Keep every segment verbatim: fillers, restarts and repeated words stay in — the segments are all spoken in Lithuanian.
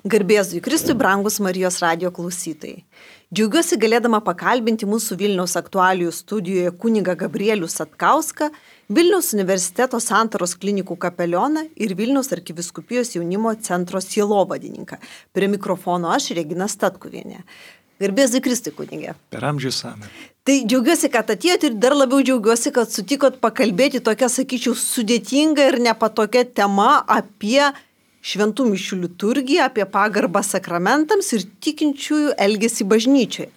Garbėzui Kristui, brangus Marijos radijo klausytojai. Džiaugiuosi galėdama pakalbinti mūsų Vilniaus aktualijų studijoje kunigą Gabrielių Satkauską, Vilniaus universiteto Santaros klinikų kapelioną ir Vilniaus arkivyskupijos jaunimo centro sielovadininką. Prie mikrofono aš, Regina Statkuvienė. Garbėzui Kristui, kunigė. Per amžius amen. Tai džiaugiuosi, kad atėjote ir dar labiau džiaugiuosi, kad sutikot pakalbėti tokia, sakyčiau, sudėtinga ir nepatokia tema apie šventų mišių liturgiją, apie pagarbą sakramentams ir tikinčiųjų elgesį bažnyčioje.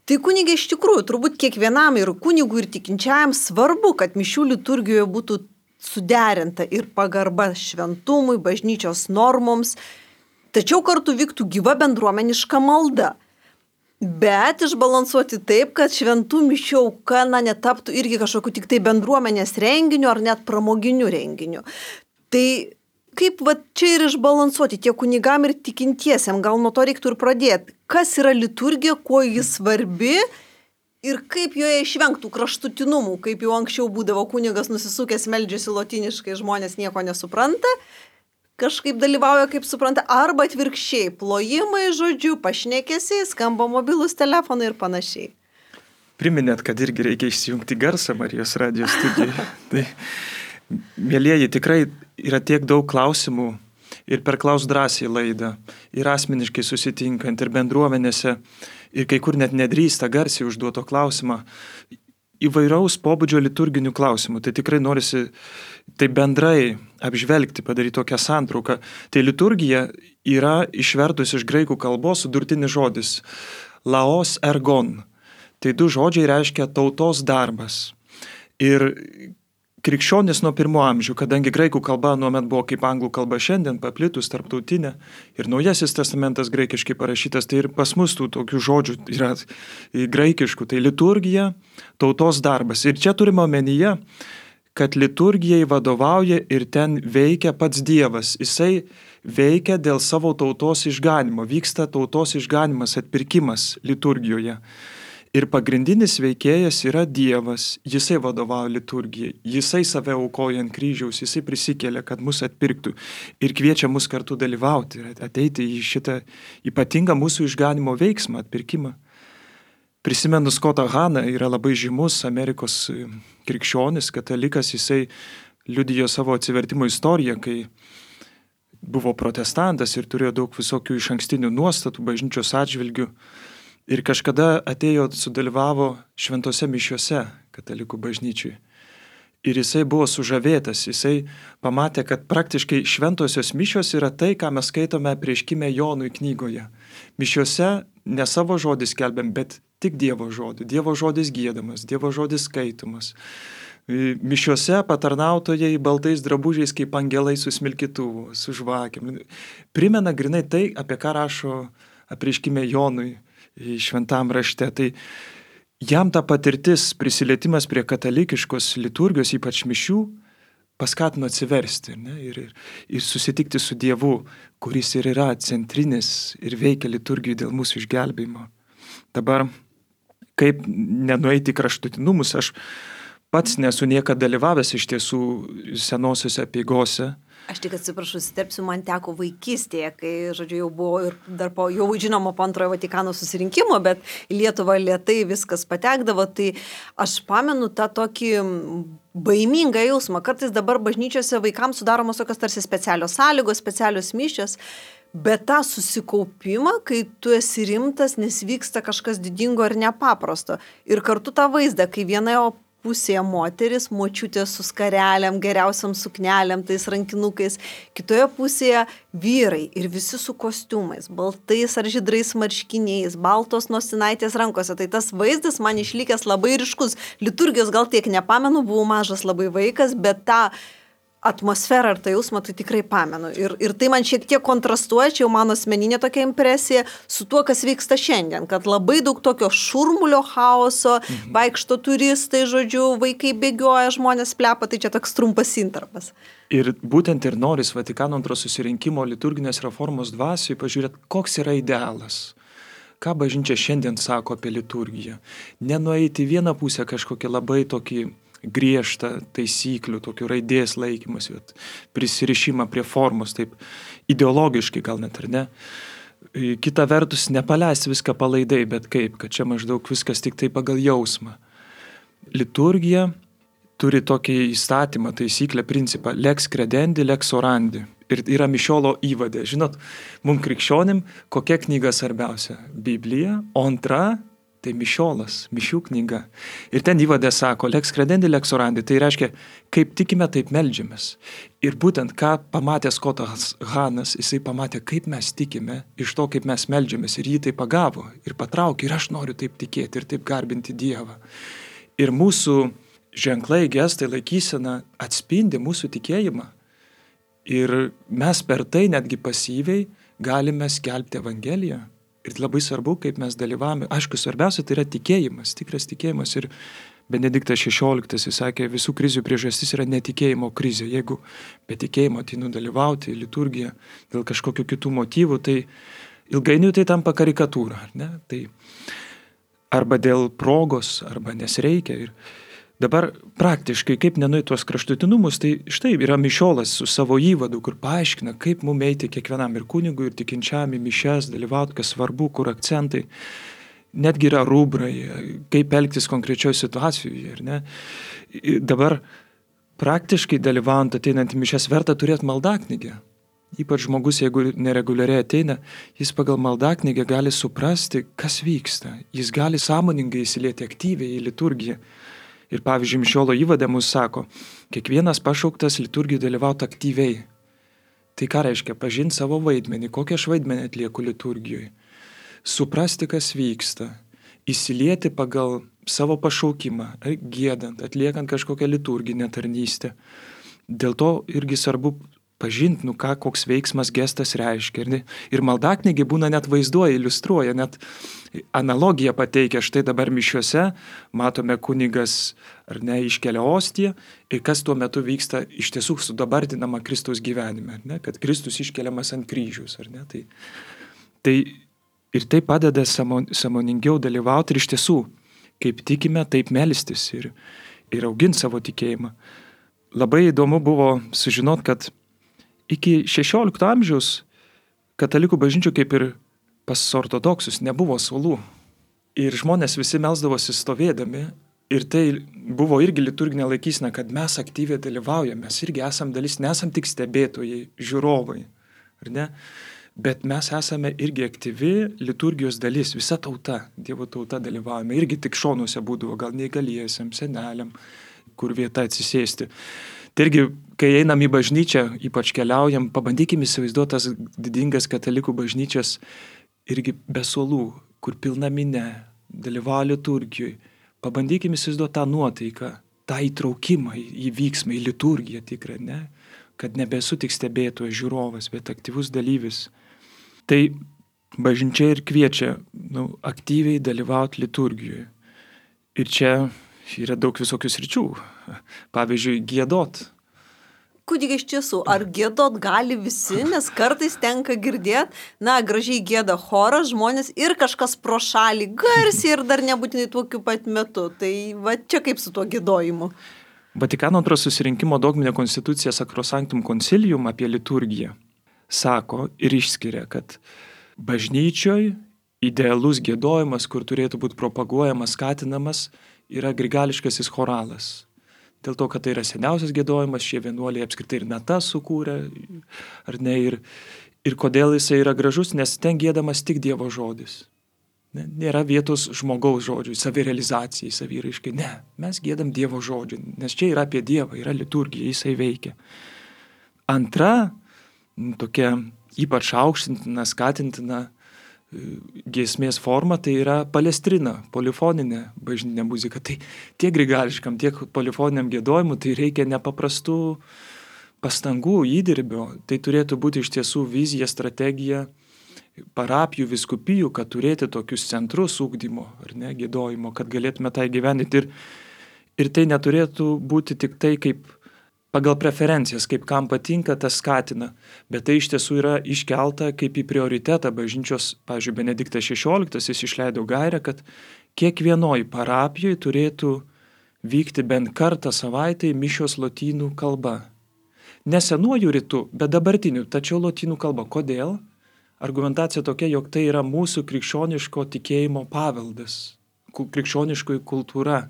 Tai kunigė, iš tikrųjų, turbūt kiekvienam ir kunigui ir tikinčiajam svarbu, kad mišių liturgijoje būtų suderinta ir pagarba šventumui, bažnyčios normoms, tačiau kartu vyktų gyva bendruomeniška malda. Bet išbalansuoti taip, kad šventų mišių auka na, netaptų irgi kažkokiu tik tai bendruomenės renginiu ar net pramoginiu renginiu. Tai kaip va čia ir išbalansuoti tiek kunigam ir tikintiesiam, gal nuo to reiktų ir pradėti. Kas yra liturgija, kuo jis svarbi ir kaip joje išvengtų kraštutinumų, kaip jau anksčiau būdavo kunigas nusisukęs meldžiasi lotyniškai, žmonės nieko nesupranta, kažkaip dalyvauja kaip supranta, arba atvirkščiai, plojimai, žodžiu, pašnekesiai, skamba mobilus telefonai ir panašiai. Priminėt, kad irgi reikia įsijungti garsą Marijos radijo studijoje. Tai, mėlieji, tikrai yra tiek daug klausimų ir per Klaus drąsiai laidą, ir asmeniškai susitinkant, ir bendruomenėse, ir kai kur net nedrįsta garsiai užduoto klausimą, įvairaus pobūdžio liturginių klausimų. Tai tikrai norisi tai bendrai apžvelgti, padaryti tokią santrauką. Tai liturgija yra išvertus iš graikų kalbos sudurtinis žodis laos ergon. Tai du žodžiai reiškia tautos darbas. Ir krikščionis nuo pirmo amžių, kadangi graikų kalba nuomet buvo kaip anglų kalba šiandien, paplitus tarptautinė, ir Naujasis testamentas graikiškai parašytas, tai ir pas mus tų tokių žodžių yra graikiškų, tai liturgija, tautos darbas. Ir čia turime omenyje, kad liturgijai vadovauja ir ten veikia pats Dievas. Jisai veikia dėl savo tautos išganimo, vyksta tautos išganimas, atpirkimas liturgijoje. Ir pagrindinis veikėjas yra Dievas, jisai vadovauja liturgijai, jisai save aukoja ant kryžiaus, jisai prisikėlė, kad mus atpirktų ir kviečia mus kartu dalyvauti ir ateiti į šitą ypatingą mūsų išganimo veiksmą, atpirkimą. Prisimenu Scottą Haną, yra labai žymus Amerikos krikščionis, katalikas, jisai liudijo savo atsivertimo istoriją, kai buvo protestantas ir turėjo daug visokių išankstinių nuostatų bažnyčios atžvilgių. Ir kažkada atėjo, sudalyvavo šventose mišiose katalikų bažnyčiui. Ir jisai buvo sužavėtas, jisai pamatė, kad praktiškai šventosios mišios yra tai, ką mes skaitome prieškime Jonui knygoje. Mišiose ne savo žodį skelbiam, bet tik Dievo žodį. Dievo žodis giedamas, Dievo žodis skaitomas. Mišiose patarnautojai baltais drabužiais kaip angelai su smilkytuvu, su žvakėm. Primena grinai tai, apie ką rašo prieškime Jonui šventam rašte. Tai jam ta patirtis, prisilietimas prie katalikiškos liturgijos, ypač mišių, paskatino atsiversti, ne? ir, ir, ir susitikti su Dievu, kuris ir yra centrinis ir veikia liturgijai dėl mūsų išgelbėjimo. Dabar, kaip nenueiti kraštutinumus, aš pats nesu niekada dalyvavęs iš tiesų senosiuose apeigose. Aš tik atsiprašau, įsiterpsiu, man teko vaikystėje, kai, žodžiu, jau buvo ir dar po, jau žinoma po antrojo Vatikano susirinkimo, bet į Lietuvą lėtai viskas patekdavo, tai aš pamenu tą tokį baimingą jausmą. Kartais dabar bažnyčiose vaikams sudaromos tokios tarsi specialios sąlygos, specialios mišios, bet tą susikaupimą, kai tu esi rimtas, nes vyksta kažkas didingo ir nepaprasto. Ir kartu tą vaizdą, kai vienoje pusėje moteris, močiutė su skareliam, geriausiam sukneliam, tais rankinukais, kitoje pusėje vyrai ir visi su kostiumais, baltais ar žydrais marškiniais, baltos nosinaitės rankose. Tai tas vaizdas man išlikęs labai ryškus. Liturgijos gal tiek nepamenu, buvau mažas labai vaikas, bet tą atmosferą ir tą jausmą tai tikrai pamenu. Ir, ir tai man šiek tiek kontrastuoja, čia jau mano asmeninė tokia impresija su tuo, kas vyksta šiandien, kad labai daug tokio šurmulio, chaoso, mhm. vaikšto turistai, žodžiu, vaikai bėgioja, žmonės plepa, tai čia toks trumpas intarpas. Ir būtent ir noris Vatikano antro susirinkimo liturginės reformos dvasiai pažiūrėti, koks yra idealas. Ką bažnyčia šiandien sako apie liturgiją. Nenueiti vieną pusę kažkokį labai tokį griežtą taisyklių, tokių raidės laikymas, prisirišimą prie formos, taip ideologiškai gal net ar ne. Kita vertus, nepaleisti viską palaidai, bet kaip, kad čia maždaug viskas tik tai pagal jausmą. Liturgija turi tokį įstatymą, taisyklę, principą lex credendi, lex orandi. Ir yra mišiolo įvadė. Žinot, mums krikščionim kokia knyga svarbiausia? Biblija, o antra tai mišiolas, mišių knyga. Ir ten įvadė sako, lex credendi, lex orandi. Tai reiškia, kaip tikime, taip meldžiamės. Ir būtent ką pamatė Skotas Hanas, jisai pamatė, kaip mes tikime iš to, kaip mes meldžiamės. Ir jį tai pagavo ir patraukė. Ir aš noriu taip tikėti ir taip garbinti Dievą. Ir mūsų ženklai, gestai, laikysena atspindi mūsų tikėjimą. Ir mes per tai netgi pasyviai galime skelbti Evangeliją. Ir labai svarbu, kaip mes dalyvavome. Aišku, svarbiausia tai yra tikėjimas, tikras tikėjimas. Ir Benediktas šešioliktas jis sakė, visų krizių priežastis yra netikėjimo krizė. Jeigu be tikėjimo ateinu dalyvauti liturgiją dėl kažkokių kitų motyvų, tai ilgainiui tai tampa karikatūra. Ne? Tai arba dėl progos, arba nes reikia. Ir dabar praktiškai, kaip nenuėti tuos kraštutinumus, tai štai yra mišiolas su savo įvadu, kur paaiškina, kaip mums eiti kiekvienam ir kunigui, ir tikinčiam į mišias, dalyvauti, kas svarbu, kur akcentai. Netgi yra rubrai, kaip elgtis konkrečioje situacijoje. Ir ne? Dabar praktiškai dalyvaujant ateinant į mišias verta turėti maldaknygę. Ypač žmogus, jeigu nereguliariai ateina, jis pagal maldaknygę gali suprasti, kas vyksta. Jis gali sąmoningai įsilieti aktyviai į liturgiją. Ir pavyzdžiui, mišiolo įvadė mus sako, kiekvienas pašauktas liturgijai dalyvauti aktyviai. Tai ką reiškia? Pažinti savo vaidmenį, kokią aš vaidmenį atlieku liturgijoje. Suprasti, kas vyksta. Įsilieti pagal savo pašaukimą, giedant, atliekant kažkokią liturginę tarnystę. Dėl to irgi svarbu pažinti, nu ką, koks veiksmas, gestas reiškia. Ir, ir maldaknygė būna net vaizduoja, iliustruoja, net analogiją pateikia. Štai dabar mišiuose matome kunigas ar ne iškelia ostiją ir kas tuo metu vyksta iš tiesų sudabartinama Kristaus gyvenime, ar ne? Kad Kristus iškeliamas ant kryžiaus. Ar ne? Tai, tai ir tai padeda sąmoningiau dalyvauti ir iš tiesų, kaip tikime, taip melstis ir, ir auginti savo tikėjimą. Labai įdomu buvo sužinoti, kad iki šešiolikto amžiaus katalikų bažnyčių kaip ir pas ortodoksus nebuvo suolų. Ir žmonės visi melsdavosi stovėdami. Ir tai buvo irgi liturginė laikysena, kad mes aktyviai dalyvaujame. Mes irgi esam dalis, nesam tik stebėtojai, žiūrovai. Ar ne? Bet mes esame irgi aktyvi liturgijos dalis. Visa tauta, Dievo tauta dalyvaujame. Irgi tik šonuose būdavo, gal neįgaliesiam, seneliam, kur vieta atsisėsti. Tai irgi, kai einam į bažnyčią, ypač keliaujam, pabandykim įsivaizduoti tas didingas katalikų bažnyčias irgi be suolų, kur pilna minė, dalyvauja liturgijoj. Pabandykim įsivaizduoti tą nuotaiką, tą įtraukimą į, į vyksmą, į liturgiją tikrą, ne? Kad nebesu tik stebėtojas, žiūrovas, bet aktyvus dalyvis. Tai bažnyčia ir kviečia nu, aktyviai dalyvauti liturgijoje. Ir čia yra daug visokių sričių. Pavyzdžiui, giedot. Kunigai, iš tiesų, ar giedot gali visi, nes kartais tenka girdėti, na, gražiai gieda choras, žmonės ir kažkas pro šalį garsiai ir dar nebūtinai tokiu pat metu. Tai va čia kaip su tuo giedojimu. Vatikano antro susirinkimo dogminė konstitucija Sacrosanctum Concilium apie liturgiją sako ir išskiria, kad bažnyčioj idealus giedojimas, kur turėtų būti propaguojamas, skatinamas, yra grigališkasis choralas. Dėl to, kad tai yra seniausias giedojimas, šie vienuoliai apskritai ir natas sukūrė, ar ne, ir, ir kodėl jisai yra gražus, nes ten giedamas tik Dievo žodis. Ne, nėra vietos žmogaus žodžiui, savirealizacijai, saviraiškai. Ne, mes giedam Dievo žodžiu, nes čia yra apie Dievą, yra liturgija, jisai veikia. Antra, tokia ypač aukštintina, skatintina giesmės forma, tai yra palestrina, polifoninė bažnytinė muzika. Tai tiek grigališkam, tiek polifoniniam giedojimui tai reikia nepaprastų pastangų, įdirbio. Tai turėtų būti iš tiesų vizija, strategija parapijų, vyskupijų, kad turėti tokius centrus ugdymo, ar ne, giedojimo, kad galėtume tai gyveninti. Ir, ir tai neturėtų būti tik tai kaip pagal preferencijas, kaip kam patinka, tas skatina. Bet tai iš tiesų yra iškelta kaip į prioritetą bažnyčios, pavyzdžiui, Benediktas šešioliktas, jis išleido gairę, kad kiekvienoj parapijoje turėtų vykti bent kartą savaitėje mišios lotynų kalba. Ne senuoju rytu, bet dabartiniu, tačiau lotynų kalba. Kodėl? Argumentacija tokia, jog tai yra mūsų krikščioniško tikėjimo paveldas, krikščioniškoji kultūra.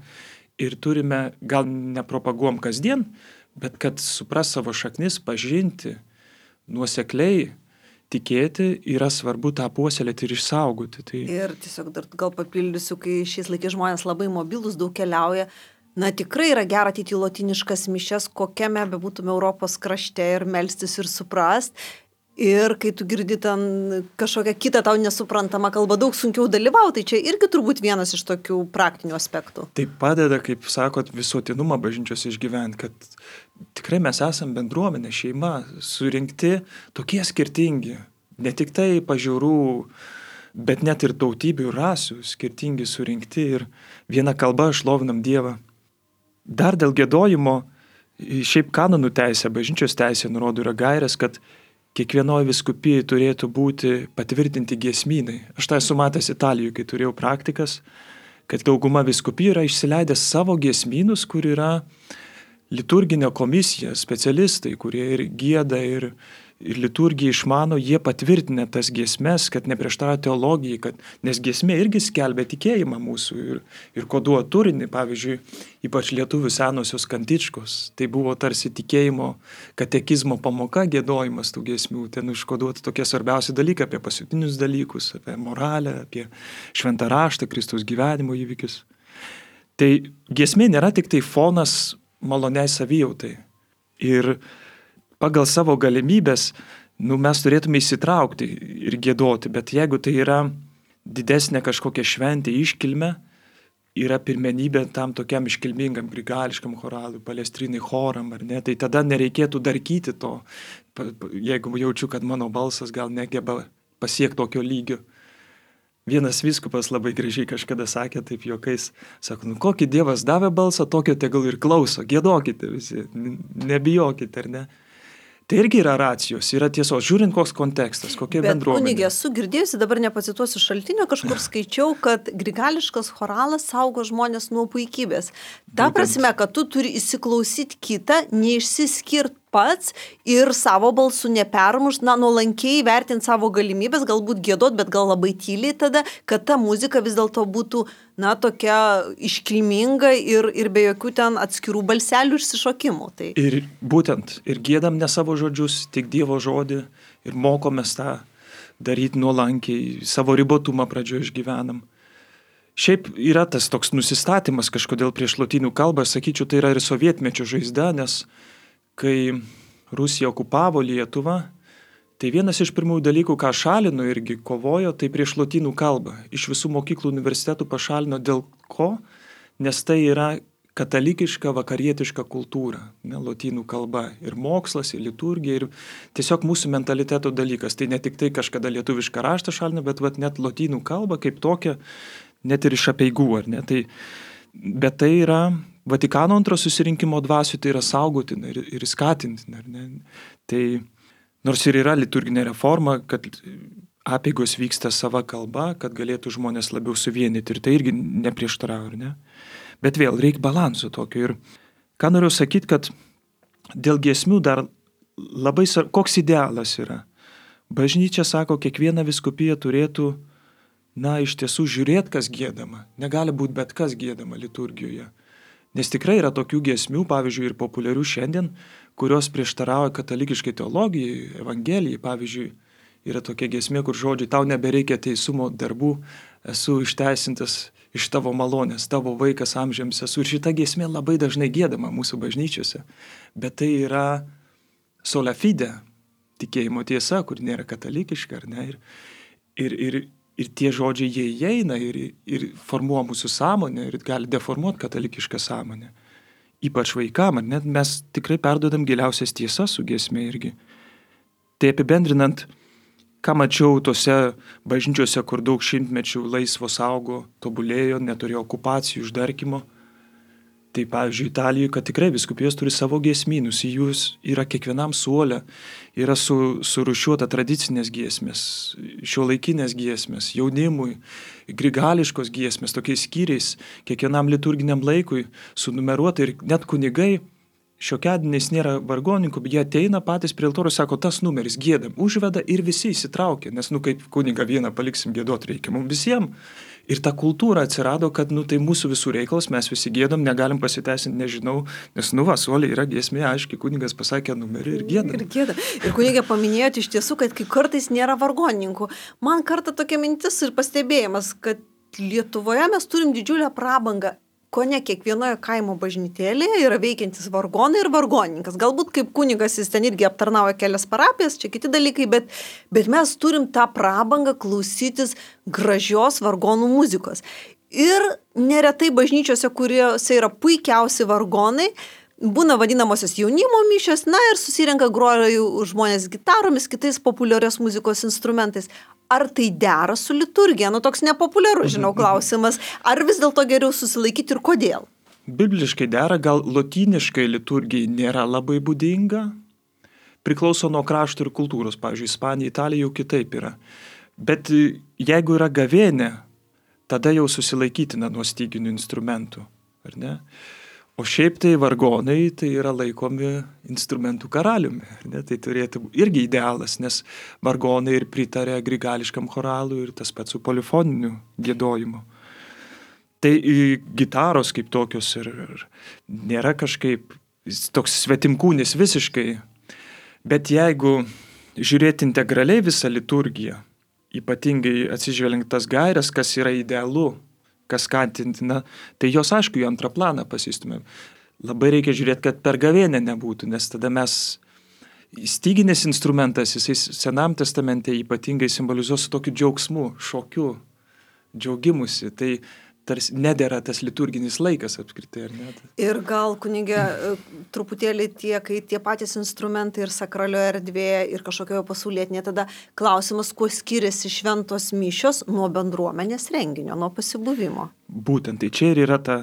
Ir turime, gal nepropaguom kasdien, bet kad supras savo šaknis, pažinti, nuosekliai tikėti, yra svarbu tą puoselėti ir išsaugoti. Tai... Ir tiesiog dar gal papildysiu, kai šiais laikais žmonės labai mobilus, daug keliauja, na tikrai yra gera ateiti į lotyniškas mišias, kokiame bebūtume Europos krašte ir melstis ir suprast. Ir kai tu girdi ten kažkokią kitą tau nesuprantamą kalbą, daug sunkiau dalyvauti, tai čia irgi turbūt vienas iš tokių praktinių aspektų. Tai padeda, kaip sakot, visuotinumą bažnyčios išgyventi, kad tikrai mes esam bendruomenė, šeima, surinkti tokie skirtingi, ne tik tai pažiūrų, bet net ir tautybių, rasių, skirtingi surinkti ir viena kalba šlovinam Dievą. Dar dėl giedojimo, šiaip kanonų teisė, bažnyčios teisė nurodo yra gairės, kad kiekvienoje vyskupijai turėtų būti patvirtinti giesmynai. Aš tai esu matęs Italijoje, kai turėjau praktikas, kad dauguma vyskupijų yra išsileidę savo giesmynus, kur yra liturginė komisija, specialistai, kurie ir gieda, ir, ir liturgiją išmano, jie patvirtinę tas giesmes, kad neprieštarauja teologijai, kad, nes giesmė irgi skelbia tikėjimą mūsų ir, ir koduoja turinį, pavyzdžiui, ypač lietuvių senosios kantičkos. Tai buvo tarsi tikėjimo katekizmo pamoka, giedojimas tų giesmių, ten užkoduoti tokie svarbiausi dalykai apie pasiutinius dalykus, apie moralę, apie šventą raštą, Kristaus gyvenimo įvykius. Tai giesmė nėra tik tai fonas maloniai savijautai. Ir pagal savo galimybės, nu, mes turėtume įsitraukti ir giedoti, bet jeigu tai yra didesnė kažkokia šventė iškilme, yra pirmenybė tam tokiam iškilmingam grigališkam choralui, palestrinai choram, ar ne, tai tada nereikėtų darkyti to, jeigu jaučiu, kad mano balsas gal negeba pasiekti tokio lygio. Vienas vyskupas labai gražiai kažkada sakė, taip juokais, sako, nu kokį Dievas davė balsą, tokio tegul ir klauso, giedokite visi, nebijokite, ar ne? Tai irgi yra racijos, yra tiesos, žiūrint koks kontekstas, kokia Bet, bendruomenė. Bet kunigė, esu girdėjusi, dabar nepacituosiu šaltinio, kažkur skaičiau, kad grigališkas choralas saugo žmonės nuo puikybės. Ta prasme, kad tu turi įsiklausyti kitą, neišsiskirt pats ir savo balsų nepermušt, na, nuolankiai vertinti savo galimybės, galbūt giedot, bet gal labai tyliai tada, kad ta muzika vis dėlto būtų, na, tokia iškilminga ir, ir be jokių ten atskirų balselių ir išsišokimų. Tai... Ir būtent, ir giedam ne savo žodžius, tik Dievo žodį ir mokomės tą daryti nuolankiai, savo ribotumą pradžioje išgyvenam. Šiaip yra tas toks nusistatymas kažkodėl prieš lotynų kalbą, sakyčiau, tai yra ir sovietmečio žaizda, nes kai Rusija okupavo Lietuvą, tai vienas iš pirmųjų dalykų, ką šalino irgi kovojo, tai prieš lotynų kalbą. Iš visų mokyklų universitetų pašalino dėl ko? Nes tai yra katalikiška, vakarietiška kultūra, ne, lotynų kalba. Ir mokslas, ir liturgija, ir tiesiog mūsų mentaliteto dalykas. Tai ne tik tai kažkada lietuvišką raštą šalino, bet vat, net lotynų kalba kaip tokia, net ir iš apeigų, ar ne? Tai, bet tai yra... Vatikano antro susirinkimo dvasių tai yra saugotina ir, ir skatintina. Tai nors ir yra liturginė reforma, kad apeigos vyksta sava kalba, kad galėtų žmonės labiau suvienyti ir tai irgi neprieštarauja, ne? Bet vėl reikia balanso tokio. Ir ką noriu sakyti, kad dėl giesmių dar labai, koks idealas yra. Bažnyčia sako, kiekviena vyskupija turėtų, na, iš tiesų žiūrėti, kas giedama. Negali būti bet kas giedama liturgijoje. Nes tikrai yra tokių giesmių, pavyzdžiui, ir populiarių šiandien, kurios prieštarauja katalikiškai teologijai, evangelijai. Pavyzdžiui, yra tokia giesmė, kur žodžiai, tau nebereikia teisumo darbų, esu išteisintas iš tavo malonės, tavo vaikas amžiams esu. Ir šita giesmė labai dažnai giedama mūsų bažnyčiose. Bet tai yra sola fide, tikėjimo tiesa, kur nėra katalikiška, ar ne? Ir, ir, ir Ir tie žodžiai jie įeina ir, ir formuoja mūsų sąmonę ir gali deformuoti katalikišką sąmonę. Ypač vaikam, ar net mes tikrai perduodam giliausias tiesas su giesmė irgi. Tai apibendrinant, ką mačiau tose bažnyčiose, kur daug šimtmečių laisvo saugo, tobulėjo, neturėjo okupacijų, uždarkymo, Tai pavyzdžiui, Italijoje, kad tikrai vyskupijos turi savo giesmynus, į jūs yra kiekvienam suole, yra su, surušiuota tradicinės giesmės, šiuolaikinės giesmės, jaunimui, grigališkos giesmės, tokiais skyriais, kiekvienam liturginiam laikui sunumeruota ir net kunigai, šiokiadieniais nėra vargoninkų, bet jie ateina patys prie altoriaus, sako, tas numeris giedam, užveda ir visi įsitraukia, nes, nu, kaip kunigą vieną paliksim giedot reikia, mums visiems. Ir ta kultūra atsirado, kad, nu, tai mūsų visų reikalas, mes visi giedam, negalim pasiteisinti, nežinau, nes, nu, va, suoliai yra giesmė, aiškiai, kunigas pasakė numerį ir giedam. Ir giedam. Ir kunigė paminėjote iš tiesų, kad kai kartais nėra vargonininkų. Man kartą tokia mintis ir pastebėjimas, kad Lietuvoje mes turim didžiulę prabangą. Ko ne kiekvienoje kaimo bažnytėlėje yra veikiantis vargonai ir vargonininkas. Galbūt kaip kunigas jis ten irgi aptarnauja kelias parapijas, čia kiti dalykai, bet, bet mes turim tą prabangą klausytis gražios vargonų muzikos. Ir neretai bažnyčiose, kuriuose yra puikiausi vargonai, būna vadinamosios jaunimo mišios, na ir susirenka groja žmonės gitaromis, kitais populiarios muzikos instrumentais. Ar tai dera su liturgija? Nu, toks nepopuliarus, žinau, klausimas. Ar vis dėlto geriau susilaikyti ir kodėl? Bibliškai dera, gal lotyniškai liturgijai nėra labai būdinga. Priklauso nuo krašto ir kultūros. Pavyzdžiui, Ispanija, Italija jau kitaip yra. Bet jeigu yra gavėnė, tada jau susilaikytina nuo styginių instrumentų. Ar ne? O šiaip tai vargonai tai yra laikomi instrumentų karaliumi. Ne? Tai turėtų irgi idealas, nes vargonai ir pritarė grigališkam choralui ir tas pats su polifoniniu giedojimu. Tai gitaros kaip tokios ir, ir nėra kažkaip toks svetimkūnis visiškai. Bet jeigu žiūrėti integraliai visą liturgiją, ypatingai atsižvelgiant tas gairias, kas yra idealu, kas skatintina, tai jos aišku į antrą planą pasistumėm. Labai reikia žiūrėti, kad per gavėnę nebūtų, nes tada mes styginis instrumentas, jisai Senam testamente ypatingai simbolizuos su tokiu džiaugsmu, šokiu, džiaugimusi. Tai tarsi nedėra tas liturginis laikas apskritai, ar ne? Ir gal, kunigė, truputėlį tie, kai tie patys instrumentai ir sakralioje erdvėje ir kažkokioje pasaulietinėje, tada klausimas, kuo skiriasi šventos mišios nuo bendruomenės renginio, nuo pasibuvimo. Būtent, tai čia ir yra ta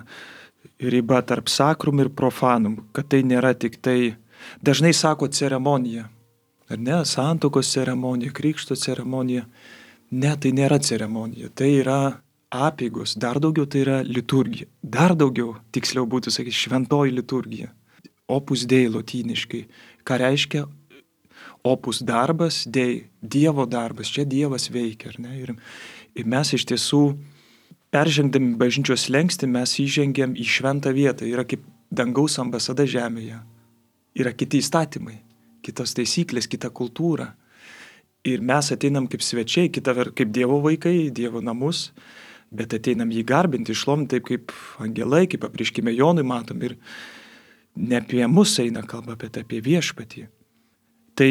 riba tarp sakrum ir profanum, kad tai nėra tik tai, dažnai sako ceremonija, ar ne, santuokos ceremonija, krikšto ceremonija, ne, tai nėra ceremonija, tai yra apeigos, dar daugiau tai yra liturgija. Dar daugiau, tiksliau būtų sakyti, šventoji liturgija. Opus dei lotyniškai. Ką reiškia opus darbas, dei, Dievo darbas. Čia Dievas veikia, ar ne? Ir, ir mes iš tiesų, peržengdami bažnyčios slenkstį, mes įžengėm į šventą vietą. Yra kaip dangaus ambasada žemėje. Yra kiti įstatymai, kitos taisyklės, kita kultūra. Ir mes ateinam kaip svečiai, kita kaip Dievo vaikai, Dievo namus. Bet ateinam jį garbinti, išlominti taip kaip angelai, kaip apriškime Jonui matom ir ne apie mus eina kalba, bet apie viešpatį. Tai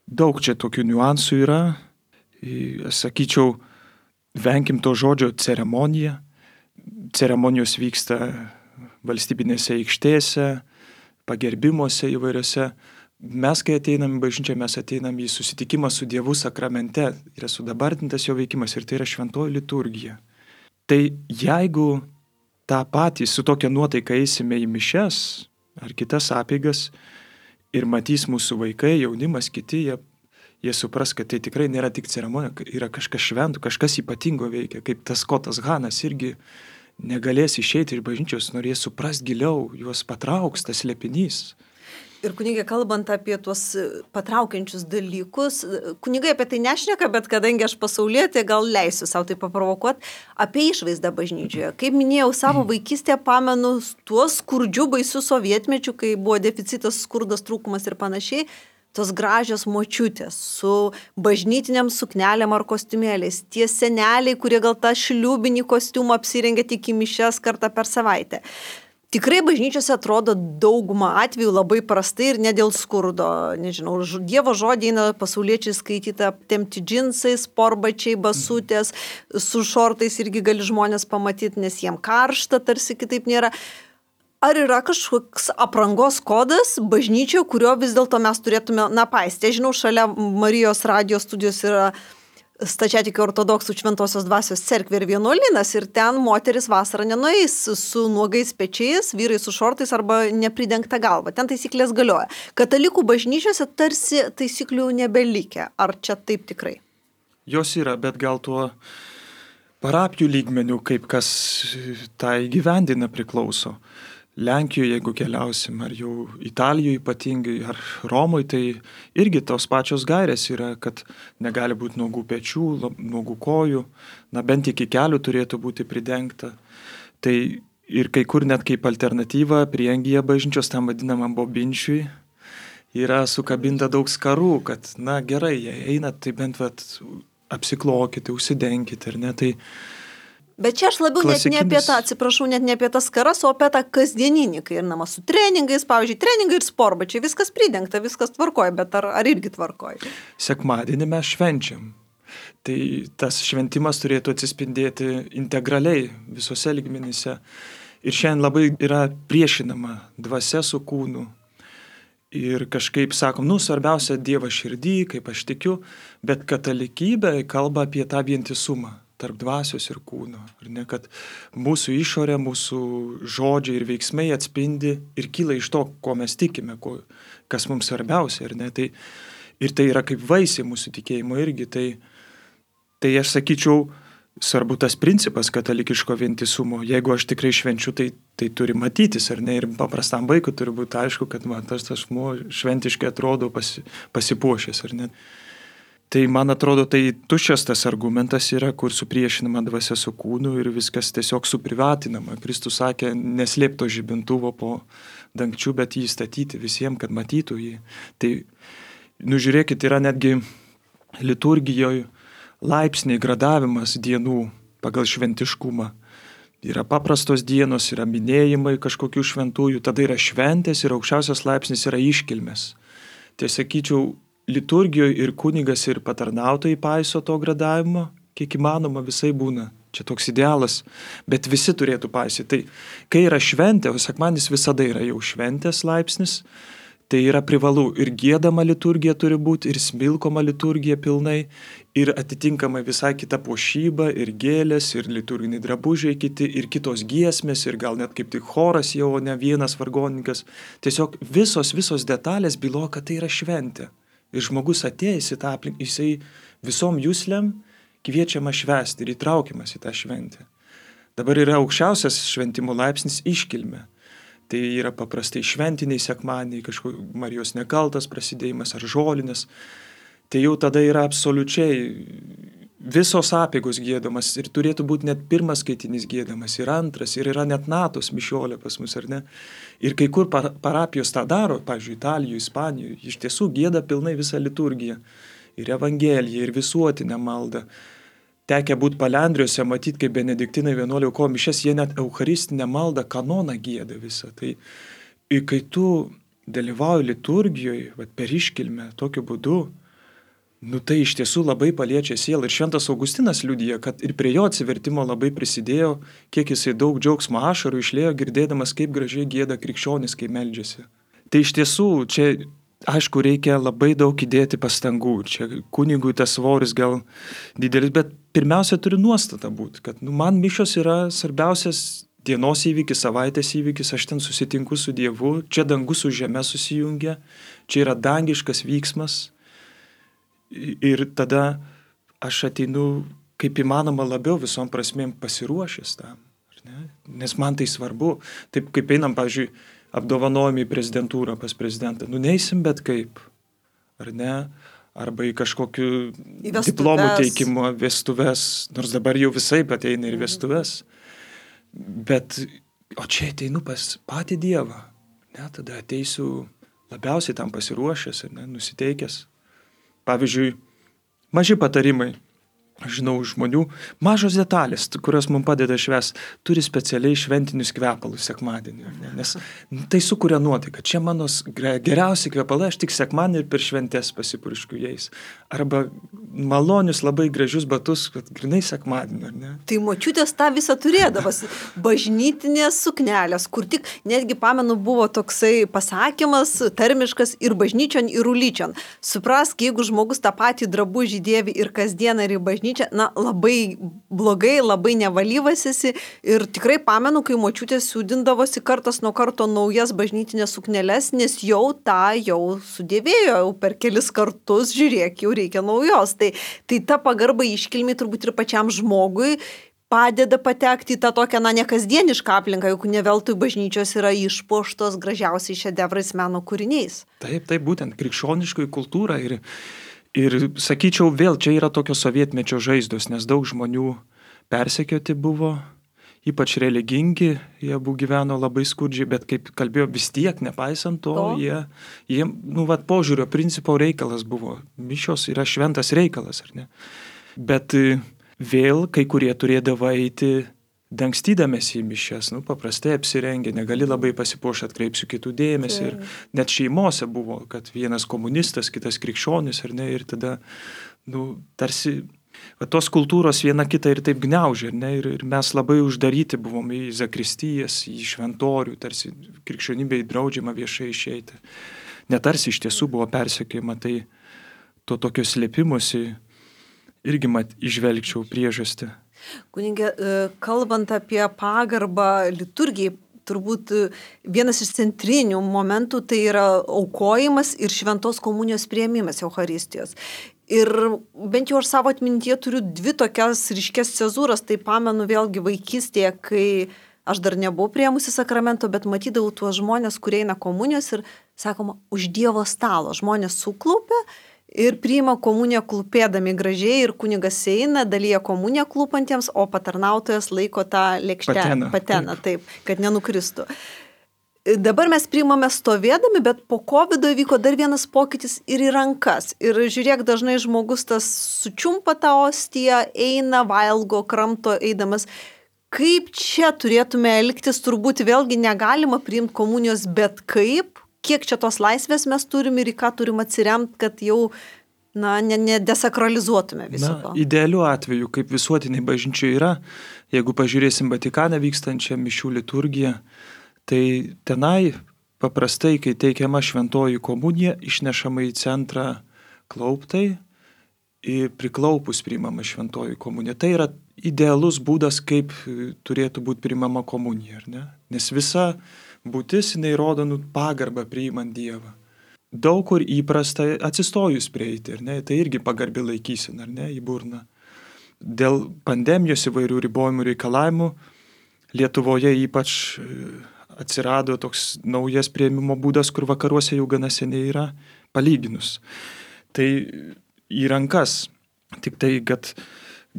daug čia tokių niuansų yra. Aš sakyčiau, venkim to žodžio ceremonija. Ceremonijos vyksta valstybinėse aikštėse, pagerbimuose įvairiose. Mes, kai ateinam į bažnyčią, mes ateinam į susitikimą su Dievu sakramente. Yra sudabartintas jo veikimas ir tai yra šventoji liturgija. Tai jeigu tą patį su tokia nuotaika eisime į mišes ar kitas apeigas ir matys mūsų vaikai, jaunimas, kiti, jie, jie supras, kad tai tikrai nėra tik ceremonija, yra kažkas šventų, kažkas ypatingo veikia, kaip tas Skotas Hanas irgi negalės išeiti iš bažnyčios, norės suprast giliau, juos patrauks tas slėpinys. Ir kunigė, kalbant apie tuos patraukiančius dalykus, kunigai apie tai nešneka, bet kadangi aš pasaulietė, gal leisiu savo tai paprovokuoti, apie išvaizdą bažnyčioje. Kaip minėjau, savo vaikystėje pamenu tuos skurdžių baisių sovietmečių, kai buvo deficitas, skurdas, trūkumas ir panašiai, tos gražios močiutės su bažnytiniam suknelėm ar kostiumėliais, tie seneliai, kurie gal tą šliūbinį kostiumą apsirengia tik į mišias kartą per savaitę. Tikrai bažnyčiose atrodo dauguma atvejų labai prastai ir ne dėl skurdo. Nežinau, Dievo žodį eina pasauliečiai skaityti aptempti džinsai, sportbačiai, basutės, su šortais irgi gali žmonės pamatyti, nes jiem karšta, tarsi kitaip nėra. Ar yra kažkoks aprangos kodas bažnyčioje, kurio vis dėlto mes turėtume, na, paisti? Žinau, šalia Marijos radijos studijos yra Stačiatikių ortodoksų Šventosios dvasios cerkvė ir vienuolynas ir ten moteris vasarą nenueis su nuogais pečiais, vyrai su šortais arba nepridengta galva. Ten taisyklės galioja. Katalikų bažnyčiose tarsi taisyklių nebelikę. Ar čia taip tikrai? Jos yra, bet gal tuo parapijų lygmenių, kaip kas tą įgyvendina priklauso. Lenkijoje, jeigu keliausim, ar jau Italijoje ypatingai, ar Romoje, tai irgi tos pačios gairės yra, kad negali būti nuogų pečių, nuogų kojų, na bent iki kelių turėtų būti pridengta. Tai ir kai kur net kaip alternatyva prieangyje bažnyčios, tam vadinamam bobinčiui, yra sukabinta daug skarų, kad na gerai, jei einat, tai bent vat, apsiklokite, užsidenkite, ar ne, tai Bet čia aš labiau klasikinis... net ne apie tą, atsiprašau, net ne apie tas karas, o apie tą kasdieninį, kai ir nama su treningais, pavyzdžiui, treningai ir sportbačiai, viskas pridengta, viskas tvarkoja, bet ar, ar irgi tvarkoja? Sekmadienį mes švenčiam. Tai tas šventimas turėtų atsispindėti integraliai visose lygmenyse. Ir šiandien labai yra priešinama dvasia su kūnu. Ir kažkaip sakom, nu, svarbiausia Dievas širdį, kaip aš tikiu, bet katalikybė kalba apie tą vientisumą tarp dvasios ir kūno. Ar ne, kad mūsų išorė, mūsų žodžiai ir veiksmai atspindi ir kyla iš to, ko mes tikime, ko, kas mums svarbiausia. Ar ne, tai, ir tai yra kaip vaisiai mūsų tikėjimo irgi. Tai, tai aš sakyčiau, svarbu tas principas katalikiško vientisumo. Jeigu aš tikrai švenčiu, tai, tai turi matytis, ar ne, ir paprastam vaikui turi būti aišku, kad man tas asmuo šventiškai atrodo pasi, pasipuošęs, ar ne. Tai man atrodo, tai tuščias tas argumentas yra, kur supriešinama dvasia su kūnu ir viskas tiesiog suprivatinama. Kristus sakė, neslėpto žibintuvo po dangčiu, bet jį statyti visiems, kad matytų jį. Tai, nu žiūrėkit, yra netgi liturgijoje laipsniai gradavimas dienų pagal šventiškumą. Yra paprastos dienos, yra minėjimai kažkokių šventųjų, tada yra šventės ir aukščiausias laipsnis yra iškilmės. Tai sakyčiau, liturgijoje ir kunigas ir patarnautojai paiso to gradavimo, kiek įmanoma visai būna. Čia toks idealas, bet visi turėtų paisyti. Tai kai yra šventė, o sekmadienis visada yra jau šventės laipsnis, tai yra privalu ir giedama liturgija turi būti, ir smilkoma liturgija pilnai, ir atitinkamai visai kita puošyba, ir gėlės, ir liturginiai drabužiai kiti, ir kitos giesmės, ir gal net kaip tik choras jau, o ne vienas vargonininkas. Tiesiog visos, visos detalės byloja, kad tai yra šventė. Ir žmogus atėjęs į tą aplinką, jisai visom juslėm kviečiama švęsti ir įtraukiamas į tą šventę. Dabar yra aukščiausias šventimo laipsnis iškilmė. Tai yra paprastai šventiniai sekmadieniai, kažkoks Marijos nekaltas prasidėjimas ar žolinės. Tai jau tada yra absoliučiai visos apeigos giedamas ir turėtų būti net pirmas skaitinys giedamas ir antras ir yra net natos mišiolė pas mus, ar ne? Ir kai kur parapijos tą daro, pavyzdžiui, Italijoje, Ispanijoje, iš tiesų gieda pilnai visą liturgiją ir evangeliją ir visuotinę maldą. Tekę būti Palendrijose, matyti, kaip benediktinai vienuoliai aukojo mišias, jie net eucharistinę maldą, kanoną gieda visą. Tai ir kai tu dalyvauji liturgijoje, vat, per iškilmę, tokiu būdu, nu tai iš tiesų labai paliečia sielą. Ir šventas Augustinas liudija, kad ir prie jo atsivertimo labai prisidėjo, kiek jisai daug džiaugsmo ašarų išlėjo, girdėdamas, kaip gražiai gieda krikščionis, kai meldžiasi. Tai iš tiesų, čia, aišku, reikia labai daug įdėti pastangų. Čia kunigui tas svoris gal didelis, bet pirmiausia turi nuostata būti, kad nu, man mišios yra svarbiausias dienos įvykis, savaitės įvykis, aš ten susitinku su Dievu, čia dangus su žeme susijungia, čia yra dangiškas vyksmas. Ir tada aš ateinu kaip įmanoma labiau visom prasmėm pasiruošęs tam. Nes man tai svarbu. Taip kaip einam, pavyzdžiui, apdovanojami į prezidentūrą pas prezidentą. Nu neisim bet kaip. Ar ne? Arba į kažkokių diplomų teikimo vestuves. Nors dabar jau visai ateina ir vestuves. Bet, o čia ateinu pas patį Dievą. Ne? Tada ateisiu labiausiai tam pasiruošęs ir ne, nusiteikęs. Pavyzdžiui, maži patarimai. žinau žmonių, mažos detalės, kurios mums padeda švęsti, turi specialiai šventinius kvepalus sekmadienį. Ne? Nes tai sukuria nuotaiką. Čia mano geriausi kvepalai, aš tik sekmadienį ir per šventes pasipurškiu jais. Arba malonius labai gražius batus, kad grinai sekmadienį. Ne? Tai močiutės tą visą turėdavas. Bažnytinės suknelės, kur tik, netgi pamenu, buvo toksai pasakymas, tarmiškas ir bažnyčion, ir ulyčion. Suprask, jeigu žmogus tą patį drabužį dėvi ir kasdieną ir į bažnyčią, na, labai blogai, labai nevalyvasisi ir tikrai pamenu, kai močiutės siūdindavosi kartas nuo karto naujas bažnytinės sukneles, nes jau tą jau sudėvėjo, jau per kelis kartus, žiūrėk, jau reikia naujos. Tai, tai ta pagarba iškilmiai turbūt ir pačiam žmogui padeda patekti į tą tokią, na, nekasdienišką aplinką, juk ne veltui bažnyčios yra išpuoštos gražiausiai šedevrais meno kūriniais. Taip, taip, būtent krikščioniškoji kultūra ir Ir sakyčiau, vėl čia yra tokios sovietmečio žaizdos, nes daug žmonių persekioti buvo, ypač religingi, jie buvo gyveno labai skurdžiai, bet kaip kalbėjo, vis tiek, nepaisant to, to. jie, jie nu, vat, požiūrio principo reikalas buvo. Mišios yra šventas reikalas, ar ne? Bet vėl kai kurie turėdavo eiti dangstydamėsi į mišias, nu, paprastai apsirengę, negali labai pasipuošti, atkreipsiu kitų dėmesį. Ir net šeimose buvo, kad vienas komunistas, kitas krikščionis, ar ne, ir tada, nu, tarsi, va, tos kultūros viena kitą ir taip gniaužė, ar ne, ir, ir mes labai uždaryti buvom į zakristijas, į šventorių, tarsi krikščionybei draudžiama viešai išeiti. Netarsi iš tiesų buvo persekiojama, tai to tokio slėpimusi irgi mat išvelgčiau priežastį. Kunige, kalbant apie pagarbą liturgijai, turbūt vienas iš centrinių momentų tai yra aukojimas ir šventos komunijos priėmimas Eucharistijos. Ir bent jau aš savo atmintyje turiu dvi tokias ryškes cezūras, tai pamenu vėlgi vaikystėje, kai aš dar nebuvau priėmusi sakramento, bet matydavau tuos žmonės, kurie eina komunijos ir, sakoma, už Dievo stalo. Žmonės suklaupia ir priima komuniją klūpėdami gražiai ir kunigas eina, dalyja komuniją klūpantiems, o patarnautojas laiko tą lėkštelę, pateną, pateną taip, kad nenukristų. Dabar mes priimame stovėdami, bet po kovido įvyko dar vienas pokytis ir į rankas. Ir žiūrėk, dažnai žmogus tas sučiumpa tą ostiją, eina, valgo, kramto eidamas. Kaip čia turėtume elgtis, turbūt vėlgi negalima priimti komunijos, bet kaip? Kiek čia tos laisvės mes turim ir į ką turim atsiremti, kad jau, na, nedesakralizuotume viso to. Na, idealiu atveju, kaip visuotiniai bažnyčiai yra, jeigu pažiūrėsim Vatikane vykstančią mišių liturgiją, tai tenai paprastai, kai teikiama šventoji komunija, išnešama į centrą klauptai ir priklaupus priimama šventoji komunija. Tai yra idealus būdas, kaip turėtų būti priimama komunija, ar ne? Nes visa būtis, jinai rodo nu, pagarbą priimant Dievą. Daug kur įprasta atsistojus prieiti, ar ne? Tai irgi pagarbi laikysena, ar ne, į burną. Dėl pandemijos įvairių ribojimų reikalavimų Lietuvoje ypač atsirado toks naujas priėmimo būdas, kur vakaruose jau gana seniai yra, palyginus. Tai į rankas, tik tai, kad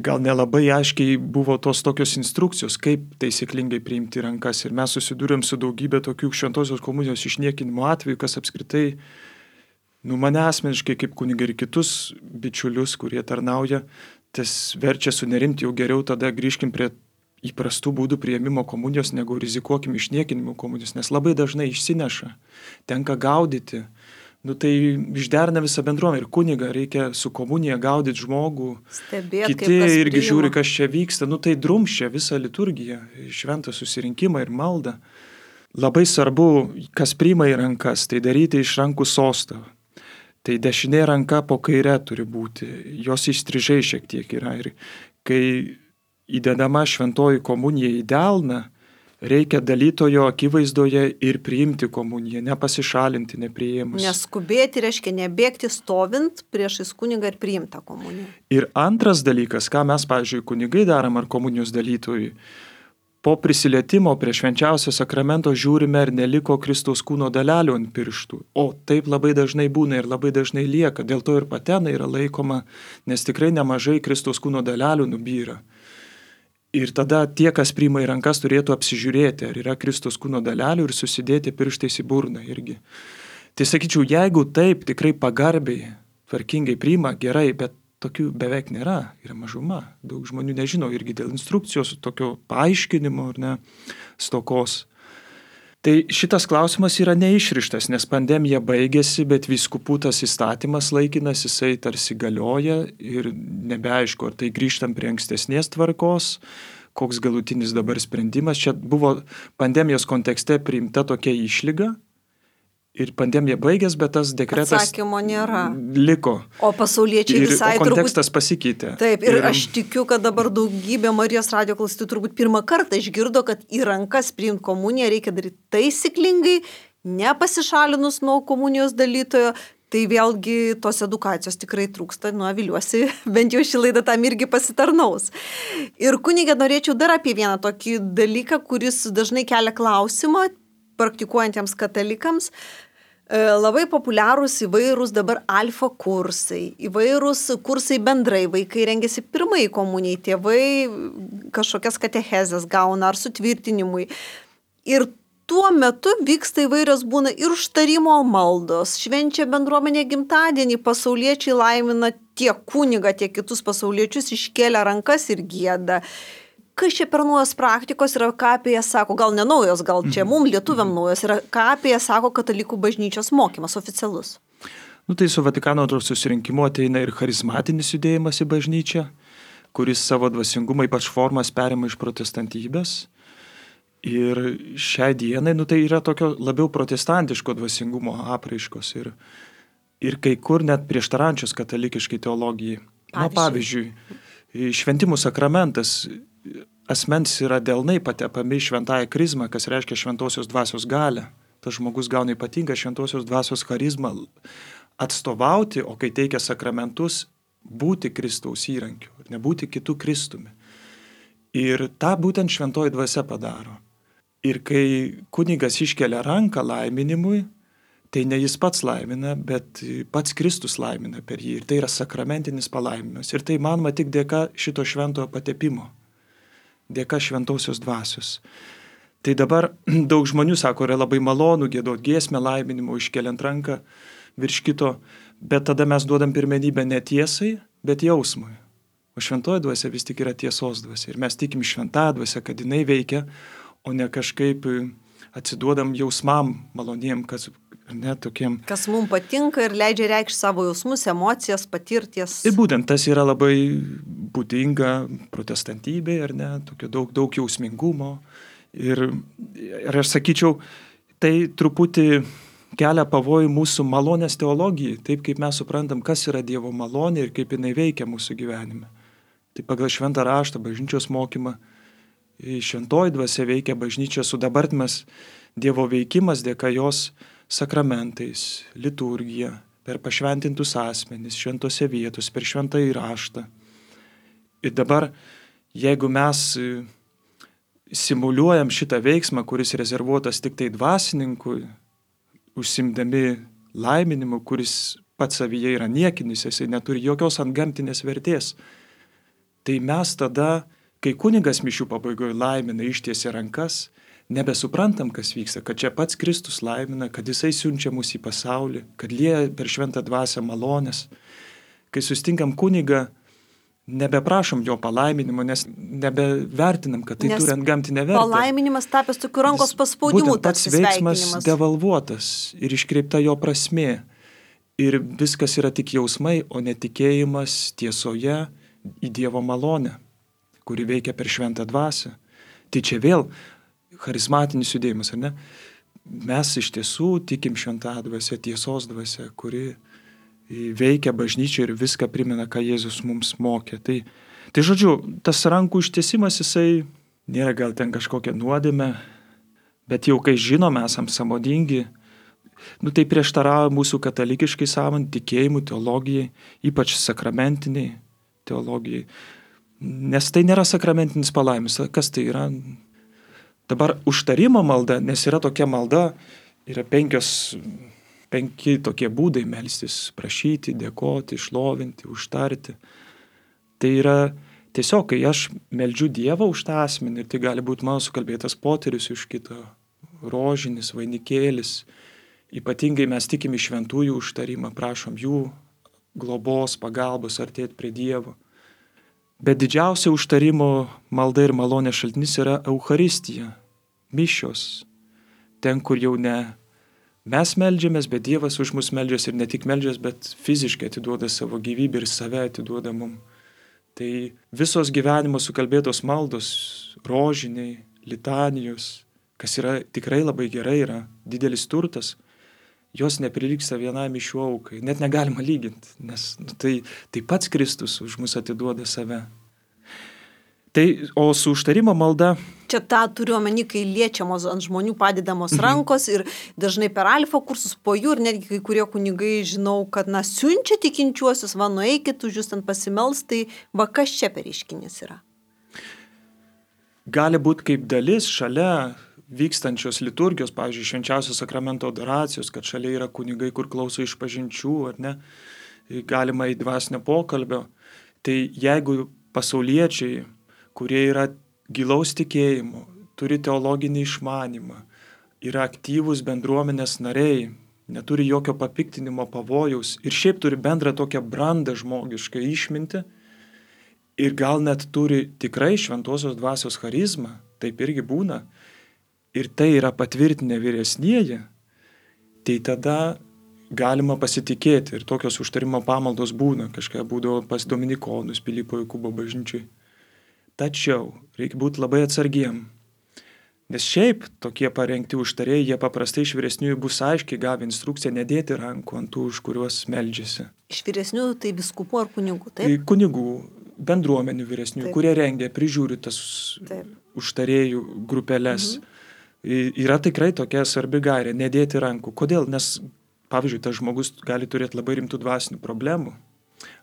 gal nelabai aiškiai buvo tos tokios instrukcijos, kaip taisyklingai priimti rankas. Ir mes susidūrėm su daugybė tokių šventosios komunijos išniekinimo atvejų, kas apskritai, nu, mane asmeniškai kaip kunigai ir kitus bičiulius, kurie tarnauja, tas verčia sunerimti, jau geriau tada grįžkim prie įprastų būdų priėmimo komunijos, negu rizikuokim išniekinimo komunijos, nes labai dažnai išsineša, tenka gaudyti. Nu tai išderina visą bendruomenę ir kunigą reikia su komunija gaudyti žmogų. Stebėt, kiti irgi žiūri, kas čia vyksta. Nu tai drumščia visą liturgiją, šventą susirinkimą ir maldą. Labai svarbu, kas priima į rankas, tai daryti iš rankų sostą. Tai dešinė ranka po kaire turi būti, jos įstrižai šiek tiek yra. Ir kai įdedama šventoji komunija į delną, reikia dalytojo akivaizdoje ir priimti komuniją, nepasišalinti, nepriėmus. Neskubėti, reiškia nebėgti stovint priešais kunigą ir priimtą komuniją. Ir antras dalykas, ką mes, pavyzdžiui, kunigai darom ar komunijos dalytojai, po prisilietimo prie švenčiausio sakramento žiūrime, ar neliko Kristaus kūno dalelių ant pirštų. O taip labai dažnai būna ir labai dažnai lieka, dėl to ir patena yra laikoma, nes tikrai nemažai Kristaus kūno dalelių nubyra. Ir tada tie, kas priima į rankas, turėtų apsižiūrėti, ar yra Kristaus kūno dalelių ir susidėti pirštais į burną irgi. Tai sakyčiau, jeigu taip tikrai pagarbiai, tvarkingai priima, gerai, bet tokių beveik nėra, yra mažuma. Daug žmonių nežino irgi dėl instrukcijos, tokio paaiškinimo ar ne, stokos. Tai šitas klausimas yra neišrištas, nes pandemija baigėsi, bet vyskupų tas įstatymas laikinas, jisai tarsi galioja ir nebeaišku, ar tai grįžtam prie ankstesnės tvarkos, koks galutinis dabar sprendimas. Čia buvo pandemijos kontekste priimta tokia išlyga ir pandemija baigės, bet tas dekretas atsakymo nėra. Liko. O pasauliečiai ir, visai o kontekstas turbūt... pasikeitė. Taip, ir, ir aš tikiu, kad dabar daugybė Marijos radijo klausytojų turbūt pirmą kartą išgirdo, kad į rankas priimti komuniją reikia daryti taisyklingai, nepasišalinus nuo komunijos dalytojo. Tai vėlgi tos edukacijos tikrai trūksta, nu, viliuosi, bent jau šį laidą tam irgi pasitarnaus. Ir kunigė, norėčiau dar apie vieną tokį dalyką, kuris dažnai kelia klausimą praktikuojantiems katalikams. Labai populiarūs įvairūs dabar alfa kursai, įvairūs kursai bendrai, vaikai rengiasi pirmai komunijai, tėvai kažkokias katechezes gauna ar sutvirtinimui. Ir tuo metu vyksta įvairios būna ir užtarimo maldos, švenčia bendruomenė gimtadienį, pasauliečiai laimina tiek kunigą, tiek kitus pasauliečius, iškėlę rankas ir gieda. Kas čia per naujos praktikos yra, ką apie jas sako, gal ne naujos, gal čia mums lietuviam naujos, yra, ką apie jas sako katalikų bažnyčios mokymas oficialus? Nu tai su Vatikano antrojo susirinkimu ateina ir charizmatinis judėjimas į bažnyčią, kuris savo dvasingumą ypač formas perima iš protestantybės. Ir šiai dienai, nu tai yra tokio labiau protestantiško dvasingumo apraiškos ir, ir kai kur net prieštarančios katalikiškai teologijai. Pavyzdžiui. Nu, pavyzdžiui, šventimų sakramentas asmens yra delnai patepami šventąją krizmą, kas reiškia šventosios dvasios galią. Tas žmogus gauna ypatingą šventosios dvasios charizmą atstovauti, o kai teikia sakramentus, būti Kristaus įrankiu ir nebūti kitų Kristumi. Ir tą būtent šventoji dvasia padaro. Ir kai kunigas iškelia ranką laiminimui, tai ne jis pats laimina, bet pats Kristus laimina per jį. Ir tai yra sakramentinis palaiminimas. Ir tai manoma tik dėka šito šventojo patepimo. Dėka šventosios dvasios. Tai dabar daug žmonių sako, yra labai malonu giedot giesmę laiminimo, iškeliant ranką virš kito, bet tada mes duodam pirmenybę ne tiesai, bet jausmui. O šventoji dvasia vis tik yra tiesos dvasia. Ir mes tikim šventąją dvasią, kad jinai veikia, o ne kažkaip atsiduodam jausmam maloniem, kas, ne, tokiem. Kas mums patinka ir leidžia reikšti savo jausmus, emocijas, patirties. Ir būtent tas yra labai būdinga protestantybė, ar ne, tokio daug, daug jausmingumo. Ir, ir aš sakyčiau, tai truputį kelia pavojų mūsų malonės teologijai, taip kaip mes suprantam, kas yra Dievo malonė ir kaip jinai veikia mūsų gyvenime. Tai pagal šventą raštą, bažnyčios mokymą, šventoji dvasia veikia bažnyčia, sudabartimas Dievo veikimas dėka jos sakramentais, liturgija, per pašventintus asmenis, šventose vietos, per šventąjį raštą. Ir dabar, jeigu mes simuliuojam šitą veiksmą, kuris rezervuotas tik tai dvasininkui, užsimdami laiminimu, kuris pats savyje yra niekinis, jisai neturi jokios antgamtinės vertės, tai mes tada, kai kunigas mišių pabaigoje laimina, ištiesia rankas, nebesuprantam, kas vyksta, kad čia pats Kristus laimina, kad jisai siunčia mus į pasaulį, kad lieja per šventą dvasią malonės. Kai susitinkam kunigą, nebeprašom jo palaiminimo, nes nebevertinam, kad tai nes turi antgamtinę vertę. Palaiminimas tapęs tokiu rankos paspaudimu, būtent pats veiksmas devalvuotas ir iškreipta jo prasmė. Ir viskas yra tik jausmai, o netikėjimas tiesoje į Dievo malonę, kuri veikia per šventą dvasią. Tai čia vėl charizmatinis judėjimas, ar ne? Mes iš tiesų tikim šventą dvasią, tiesos dvasią, kuri veikia bažnyčią ir viską primena, ką Jėzus mums mokė. Tai, tai žodžiu, tas rankų ištiesimas, jisai nėra gal ten kažkokia nuodėmė, bet jau kai žinome, esam sąmoningi, nu tai prieštarauja mūsų katalikiškai sąmonė, tikėjimų, teologijai, ypač sakramentiniai teologijai. Nes tai nėra sakramentinis palaimis. Kas tai yra? Dabar užtarimo malda, nes yra tokia malda, yra penkios, penki tokie būdai melstis, prašyti, dėkoti, šlovinti, užtarti. Tai yra tiesiog, kai aš meldžiu Dievą už tą asmenį, ir tai gali būti mano sukalbėtas poterius iš kito, rožinis, vainikėlis. Ypatingai mes tikim į šventųjų užtarimą, prašom jų globos, pagalbos, artėti prie Dievo. Bet didžiausia užtarimo malda ir malonės šaltinis yra Eucharistija, mišios. Ten, kur jau ne mes meldžiamės, bet Dievas už mus meldžiasi ir ne tik meldžiasi, bet fiziškai atiduoda savo gyvybę ir save atiduoda mum. Tai visos gyvenimo sukalbėtos maldos, rožiniai, litanijos, kas yra tikrai labai gerai, yra didelis turtas, jos neprilygsta vienai mišių aukai. Net negalima lyginti, nes nu, tai, tai pats Kristus už mus atiduoda save. Tai, o su užtarimo malda... Čia tą turiu omeny, kai liečiamos ant žmonių padedamos rankos ir dažnai per alfa kursus po jų ir netgi kai kurie kunigai žinau, kad na, siunčia tikinčiuosius, va, nueikit, už jūs ten pasimels, tai va, kas čia per reiškinys yra? Gali būti kaip dalis šalia vykstančios liturgijos, pavyzdžiui, švenčiausios sakramento adoracijos, kad šalia yra kunigai, kur klauso išpažinčių, ar ne, galima į dvasinio pokalbio. Tai jeigu pasauliečiai, kurie yra gilaus tikėjimo, turi teologinį išmanymą, yra aktyvūs bendruomenės nariai, neturi jokio papiktinimo pavojaus ir šiaip turi bendrą tokią brandą žmogišką išmintį ir gal net turi tikrai šventosios dvasios charizmą, taip irgi būna, ir tai yra patvirtinę vyresnieji, tai tada galima pasitikėti ir tokios užtarimo pamaldos būna, kažką būdavo pas dominikonus Pilypo Jokūbo bažnyčiai. Tačiau reikia būti labai atsargiem, nes šiaip tokie parengti užtarėjai, jie paprastai iš vyresniųjų bus aiškiai gavę instrukciją nedėti rankų ant tų, už kuriuos meldžiasi. Iš vyresniųjų tai viskupų ar kunigų, taip? Tai kunigų, bendruomenių vyresniųjų, kurie rengia, prižiūri tas taip. Užtarėjų grupelės. Mhm. Yra tikrai tokia svarbi gairė, nedėti rankų. Kodėl? Nes, pavyzdžiui, tas žmogus gali turėti labai rimtų dvasinių problemų.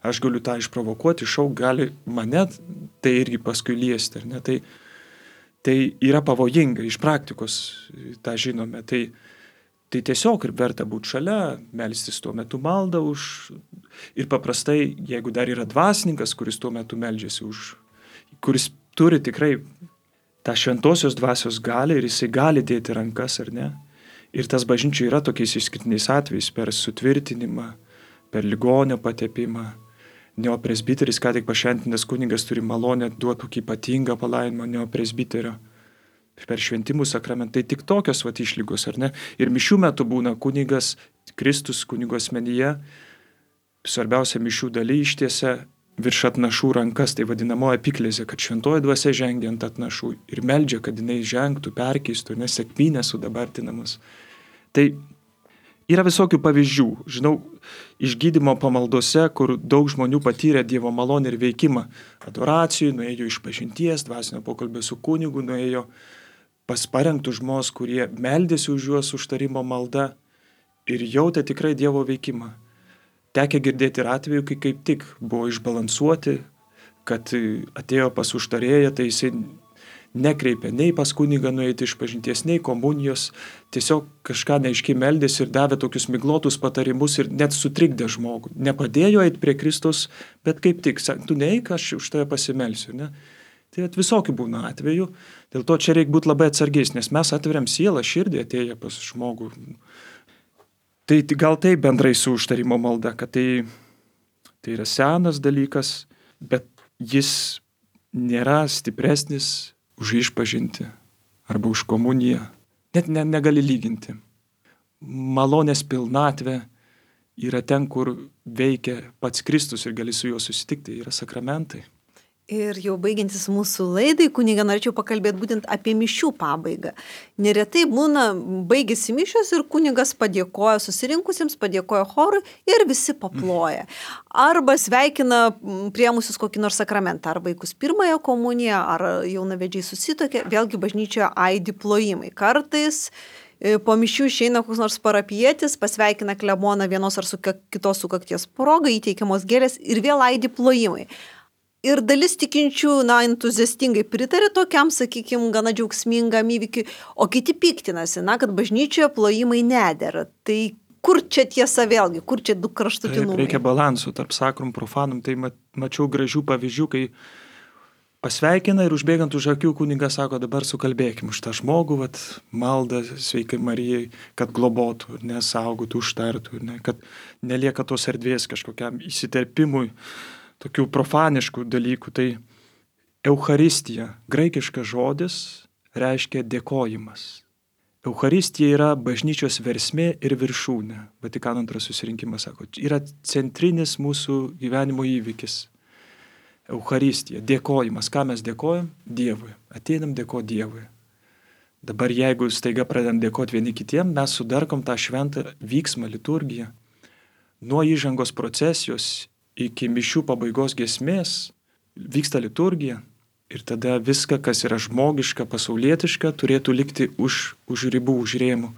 Aš galiu tą išprovokuoti, šau gali mane tai irgi paskui liesti. Ar ne? Tai, tai yra pavojinga, iš praktikos tą žinome. Tai, tai tiesiog ir verta būti šalia, melstis tuo metu maldą už. Ir paprastai, jeigu dar yra dvasininkas, kuris tuo metu meldžiasi už, kuris turi tikrai tą šventosios dvasios galią ir jisai gali dėti rankas, ar ne? Ir tas bažnyčių yra tokiais išskirtiniais atvejais per sutvirtinimą, per ligonio patepimą. Neopresbiteris, ką tik pašventintas kunigas, turi malonę duoti tokį ypatingą palaimą neopresbiterio. Per šventimų sakramentą. Tai tik tokios vat išlygos, ar ne? Ir mišių metu būna kunigas, Kristus kunigo asmenyje, svarbiausia mišių daly ištiesia virš atnašų rankas, tai vadinamoji epiklezė, kad šventoji dvasia žengia ant atnašų ir meldžia, kad jinai žengtų, perkeistų, nes sekmynė sudabartinamas. Tai yra visokių pavyzdžių. Žinau, išgydymo pamaldose, kur daug žmonių patyrė Dievo malonę ir veikimą. Adoracijų, nuėjo išpažinties, dvasinio pokalbio su kunigu, nuėjo pas parengtų žmonės, kurie meldėsi už juos užtarimo malda ir jautė tikrai Dievo veikimą. Tekę girdėti ir atveju, kai kaip tik buvo išbalansuoti, kad atėjo pas užtarėją, tai jisai nekreipė nei pas kunigą nueiti išpažinties, nei komunijos, tiesiog kažką neaiškiai meldėsi ir davė tokius miglotus patarimus ir net sutrikdė žmogų. Nepadėjo eiti prie Kristus, bet kaip tik, tu neik, aš už tave pasimelsiu. Ne? Tai visokių būna atvejų, dėl to čia reikia būti labai atsargiais, nes mes atveriam sielą, širdį atėję pas žmogų. Tai gal tai bendrai su užtarimo malda, kad tai, tai yra senas dalykas, bet jis nėra stipresnis už išpažinti arba už komuniją. Net ne, negali lyginti. Malonės pilnatvė yra ten, kur veikia pats Kristus ir gali su juo susitikti, yra sakramentai. Ir jau baigiantis mūsų laidai, kuniga, norėčiau pakalbėti būtent apie mišių pabaigą. Neretai būna, baigėsi mišios ir kunigas padėkoja susirinkusiems, padėkoja chorui ir visi paploja. Arba sveikina priėmusius kokį nors sakramentą, ar vaikus pirmąją komuniją, ar jaunavedžiai susitokia, vėlgi bažnyčioje aidi plojimai. Kartais po mišių išeina koks nors parapietis, pasveikina kleboną vienos ar su kitos sukakties proga, įteikiamos gėlės ir vėl aidi plojimai. Ir dalis tikinčių, na, entuziastingai pritarė tokiam, sakykime, gana džiaugsmingam įvykiui, o kiti piktinasi, na, kad bažnyčioje plojimai nedera. Tai kur čia tiesa vėlgi, kur čia du kraštutinumai? Reikia balansų tarp sakrum profanum. Tai mačiau gražių pavyzdžių, kai pasveikina ir užbėgant už akių kunigas sako, dabar sukalbėkim už tą žmogų, vat, maldą sveikai Marijai, kad globotų, nesaugotų, užtartų, ne, kad nelieka tos erdvės kažkokiam įsiterpimui, tokių profaniškų dalykų. Tai Eucharistija, graikiškas žodis, reiškia dėkojimas. Eucharistija yra bažnyčios versmė ir viršūnė. Vatikano antras susirinkimas sako, yra centrinis mūsų gyvenimo įvykis. Eucharistija, dėkojimas. Ką mes dėkojam? Dievui. Ateinam dėkoti Dievui. Dabar jeigu staiga pradedam dėkoti vieni kitiem, mes sudarkom tą šventą vyksmą, liturgiją. Nuo įžangos procesijos iki mišių pabaigos giesmės vyksta liturgija ir tada viską, kas yra žmogiška, pasaulietiška, turėtų likti už, už ribų, už rėmų.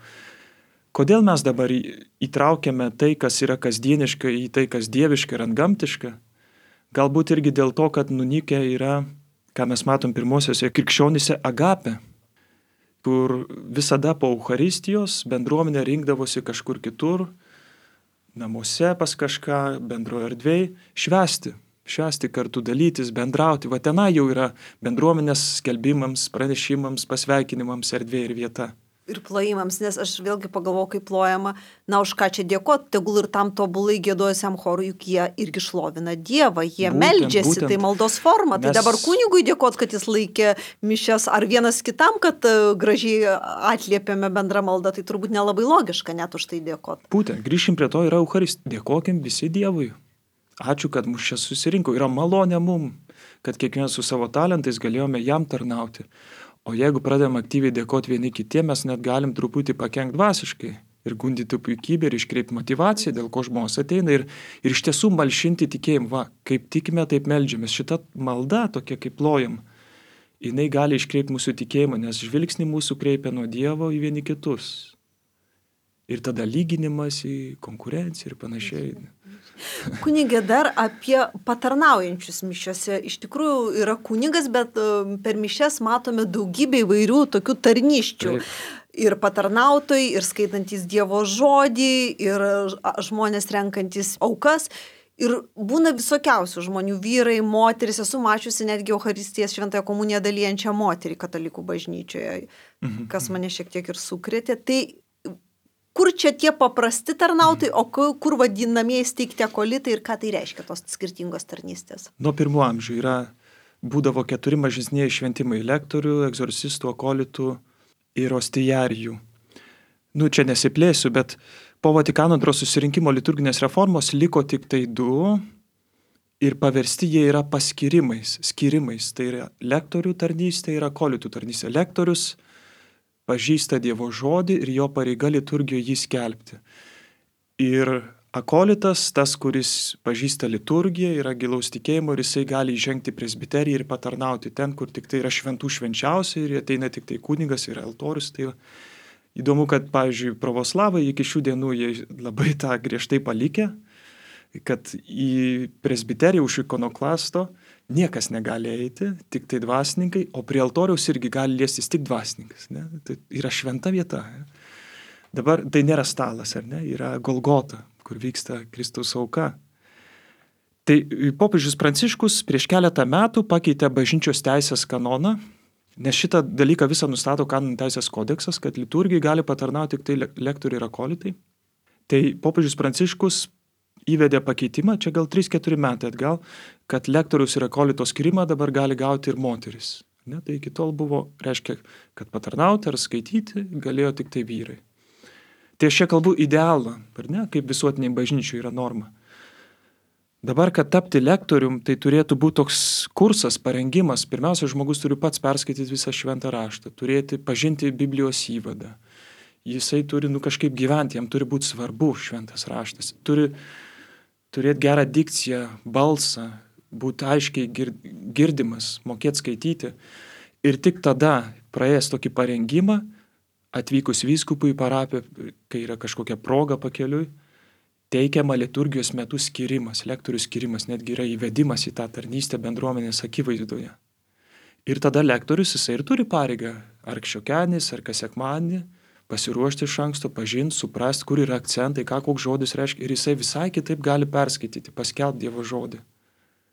Kodėl mes dabar įtraukiame tai, kas yra kasdieniška, į tai, kas dieviška ir antgamtiška? Galbūt irgi dėl to, kad nunykę yra, ką mes matom pirmosiuose krikščionyse, agapė, kur visada po Eucharistijos bendruomenė rinkdavosi kažkur kitur, namuose pas kažką, bendroje erdvėje, švęsti, švęsti kartu, dalytis, bendrauti. Va tenai jau yra bendruomenės skelbimams, pranešimams, pasveikinimams erdvė ir vieta. Ir plojimams, nes aš vėlgi pagalvojau, kaip plojama, na už ką čia dėkoti, tegul ir tam tobulai gėdojusiam chorui, juk jie irgi šlovina Dievą, jie būtent, meldžiasi, būtent. Tai maldos forma. Mes... Tai dabar kunigui dėkoti, kad jis laikė mišias, ar vienas kitam, kad gražiai atliepėme bendrą maldą, tai turbūt nelabai logiška net už tai dėkoti. Būtent, grįšim prie to, yra Eucharistija. Dėkokim visi Dievui. Ačiū, kad mus čia susirinko. Yra malonė mum, kad kiekvienas su savo talentais galėjome jam tarnauti. O jeigu pradėjom aktyviai dėkoti vieni kitiem, mes net galim truputį pakenkti dvasiškai ir gundyti puikybę ir iškreipti motivaciją, dėl ko žmonės ateina ir, ir iš tiesų malšinti tikėjimą. Va, kaip tikime, taip meldžiamės. Šita malda, tokia kaip plojam, jinai gali iškreipti mūsų tikėjimą, nes žvilgsnį mūsų kreipia nuo Dievo į vieni kitus. Ir tada lyginimas į konkurenciją ir panašiai. Kunigė, dar apie patarnaujančius mišiose. Iš tikrųjų yra kunigas, bet per mišias matome daugybę įvairių tokių tarnyščių. Taip. Ir patarnautojai, ir skaitantis Dievo žodį, ir žmonės renkantis aukas. Ir būna visokiausių žmonių, vyrai, moteris. Esu mačiusi netgi Eucharistijas šventąją komuniją dalyjančią moterį katalikų bažnyčioje, mhm. kas mane šiek tiek ir sukrėtė. Tai kur čia tie paprasti tarnautojai, o kur vadinamieji steigti akolitai ir ką tai reiškia tos skirtingos tarnystės? Nuo pirmų amžių yra, būdavo keturi mažesnieji šventimai - lektorių, egzorcistų, akolitų ir ostijarijų. Nu, čia nesiplėsiu, bet po Vatikano antro susirinkimo liturginės reformos liko tik tai du ir paversti jie yra paskirimais, skirimais. Tai yra lektorių tarnystė ir akolitų tarnystė. Lektorius pažįsta Dievo žodį ir jo pareiga liturgijoje jį skelbti. Ir akolitas, tas, kuris pažįsta liturgiją, yra gilaus tikėjimo ir jisai gali įžengti presbiteriją ir patarnauti ten, kur tik tai yra šventų švenčiausia ir ateina tik tai kunigas ir altorius. Tai įdomu, kad, pavyzdžiui, pravoslavai iki šių dienų jie labai tą griežtai palikė, kad į presbiteriją už ikonoklasto niekas negali eiti, tik tai dvasininkai, o prie altoriaus irgi gali liestis tik dvasininkas. Ne? Tai yra šventa vieta. Ne? Dabar tai nėra stalas, ar ne? Yra Golgota, kur vyksta Kristaus auka. Tai popiežius Pranciškus prieš keletą metų pakeitė bažnyčios teisės kanoną, nes šitą dalyką visą nustato kanonų teisės kodeksas, kad liturgijai gali patarnauti tik tai lektoriai ir akolitai. Tai popiežius Pranciškus įvedė pakeitimą, čia gal trys keturi metai atgal, kad lektorius ir akolito skirimą dabar gali gauti ir moteris. Ne? Tai iki tol buvo, reiškia, kad patarnauti ar skaityti galėjo tik tai vyrai. Tai aš čia kalbu idealą, ar ne, kaip visuotiniai bažnyčių yra norma. Dabar, kad tapti lektorium, tai turėtų būti toks kursas, parengimas. Pirmiausia, žmogus turi pats perskaityti visą šventą raštą, turėti, pažinti Biblijos įvadą. Jisai turi, nu, kažkaip gyventi, jam turi būti svarbu šventas raštas. Turi turėti gerą dikciją, balsą, būti aiškiai girdimas, mokėti skaityti. Ir tik tada, praėjęs tokį parengimą, atvykus vyskupui į parapiją, kai yra kažkokia proga pakeliui, teikiama liturgijos metu skirimas, lektorių skirimas, netgi yra įvedimas į tą tarnystę bendruomenės akivaizdoje. Ir tada lektorius jisai ir turi pareigą, ar šiokenis, ar kas sekmadienį, pasiruošti iš anksto, pažinti, suprasti, kur yra akcentai, ką koks žodis reiškia. Ir jisai visai kitaip gali perskaityti, paskelbti Dievo žodį.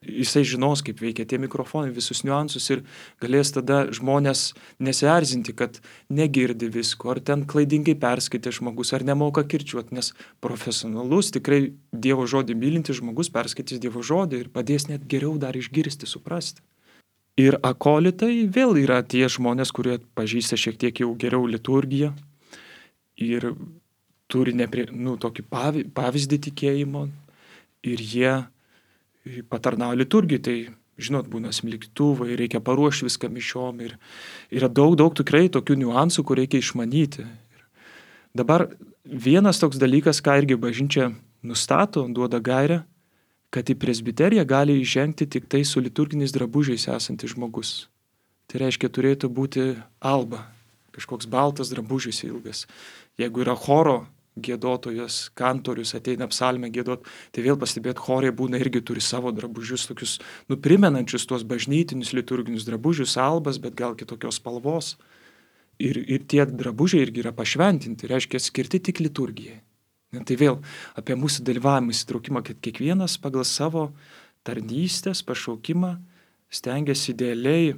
Jisai žinos, kaip veikia tie mikrofonai, visus niuansus ir galės tada žmonės nesierzinti, kad negirdi visko, ar ten klaidingai perskaitė žmogus, ar nemoka kirčiuoti, nes profesionalus, tikrai Dievo žodį mylintis žmogus perskaitys Dievo žodį ir padės net geriau dar išgirsti, suprasti. Ir akolitai vėl yra tie žmonės, kurie pažįsta šiek tiek jau geriau liturgiją ir turi neprie, nu, tokį pavyzdį tikėjimo ir jie patarnauja liturgijai, tai, žinot, būna smilkytuvai, reikia paruošti viską mišiom ir yra daug, daug tikrai tokių niuansų, kur reikia išmanyti. Ir dabar vienas toks dalykas, ką irgi bažnyčia nustato, duoda gairę, kad į presbiteriją gali įžengti tik tai su liturginiais drabužiais esantis žmogus. Tai reiškia, turėtų būti alba, kažkoks baltas drabužis ilgas. Jeigu yra choro giedotojas, kantorius ateina psalmę giedot, tai vėl pastebėt, chorai būna irgi turi savo drabužius, tokius nuprimenančius tuos bažnytinius liturginius drabužius, albas, bet gal kitokios spalvos. Ir, ir tie drabužiai irgi yra pašventinti, reiškia skirti tik liturgijai. Ne, tai vėl apie mūsų dalyvavimą įsitraukimą, kad kiekvienas pagal savo tarnystės pašaukimą stengiasi idealiai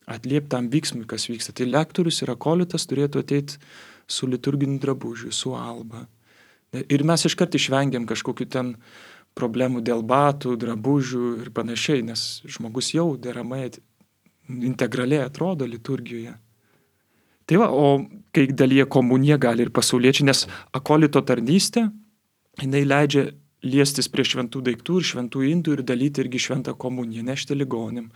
atliepti tam vyksmui, kas vyksta. Tai lektorius ir akolitas turėtų ateiti su liturginiu drabužiu, su alba. Ir mes iškart išvengiam kažkokių ten problemų dėl batų, drabužių ir panašiai, nes žmogus jau deramai integraliai atrodo liturgijoje. Tai va, o kai dalyje komuniją gali ir pasauliečiai, nes akolito tarnystė, jinai leidžia liestis prie šventų daiktų ir šventų indų ir dalyti irgi šventą komuniją, nešti ligonim.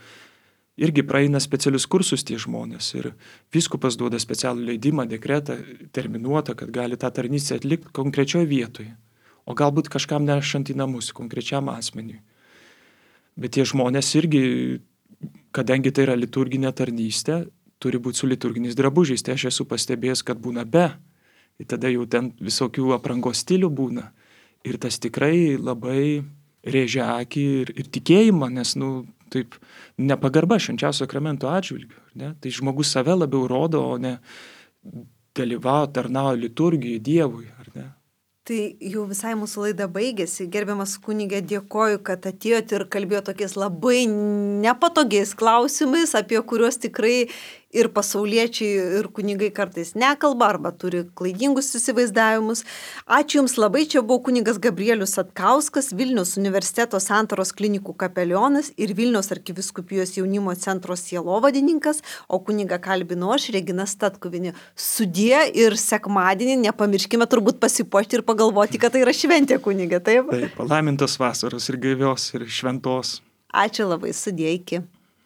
Irgi praeina specialius kursus tie žmonės ir vyskupas duoda specialų leidimą, dekretą, terminuotą, kad gali tą tarnystę atlikti konkrečioje vietoje, o galbūt kažkam nešant į namus, konkrečiam asmeniui. Bet tie žmonės irgi, kadangi tai yra liturginė tarnystė, turi būti su liturginiais drabužiais. Tai aš esu pastebėjęs, kad būna be, ir tada jau ten visokių aprangos stilių būna. Ir tas tikrai labai rėžia akį ir, ir tikėjimą, nes, nu, taip, nepagarba švenčiausio sakramento atžvilgiu. Ne? Tai žmogus save labiau rodo, o ne dalyvauja, tarnauja liturgijai, Dievui. Ar ne? Tai jau visai mūsų laida baigėsi. Gerbiamas kunigė, dėkoju, kad atėjot ir kalbėjo tokiais labai nepatogiais klausimais, apie kuriuos tikrai ir pasauliečiai, ir kunigai kartais nekalba arba turi klaidingus įsivaizdavimus. Ačiū Jums labai. Čia buvo kunigas Gabrielius Satkauskas, Vilniaus universiteto Santaros klinikų kapelionas ir Vilniaus arkivyskupijos jaunimo centro sielovadininkas, o kunigą kalbinu aš, Regina Statkuvienė. Sudie ir sekmadienį nepamirškime turbūt pasipuošti ir pagalvoti, kad tai yra šventė, kunigė, taip? Taip, palaimintos vasaros ir gaivios ir šventos. Ačiū labai, sudie, iki.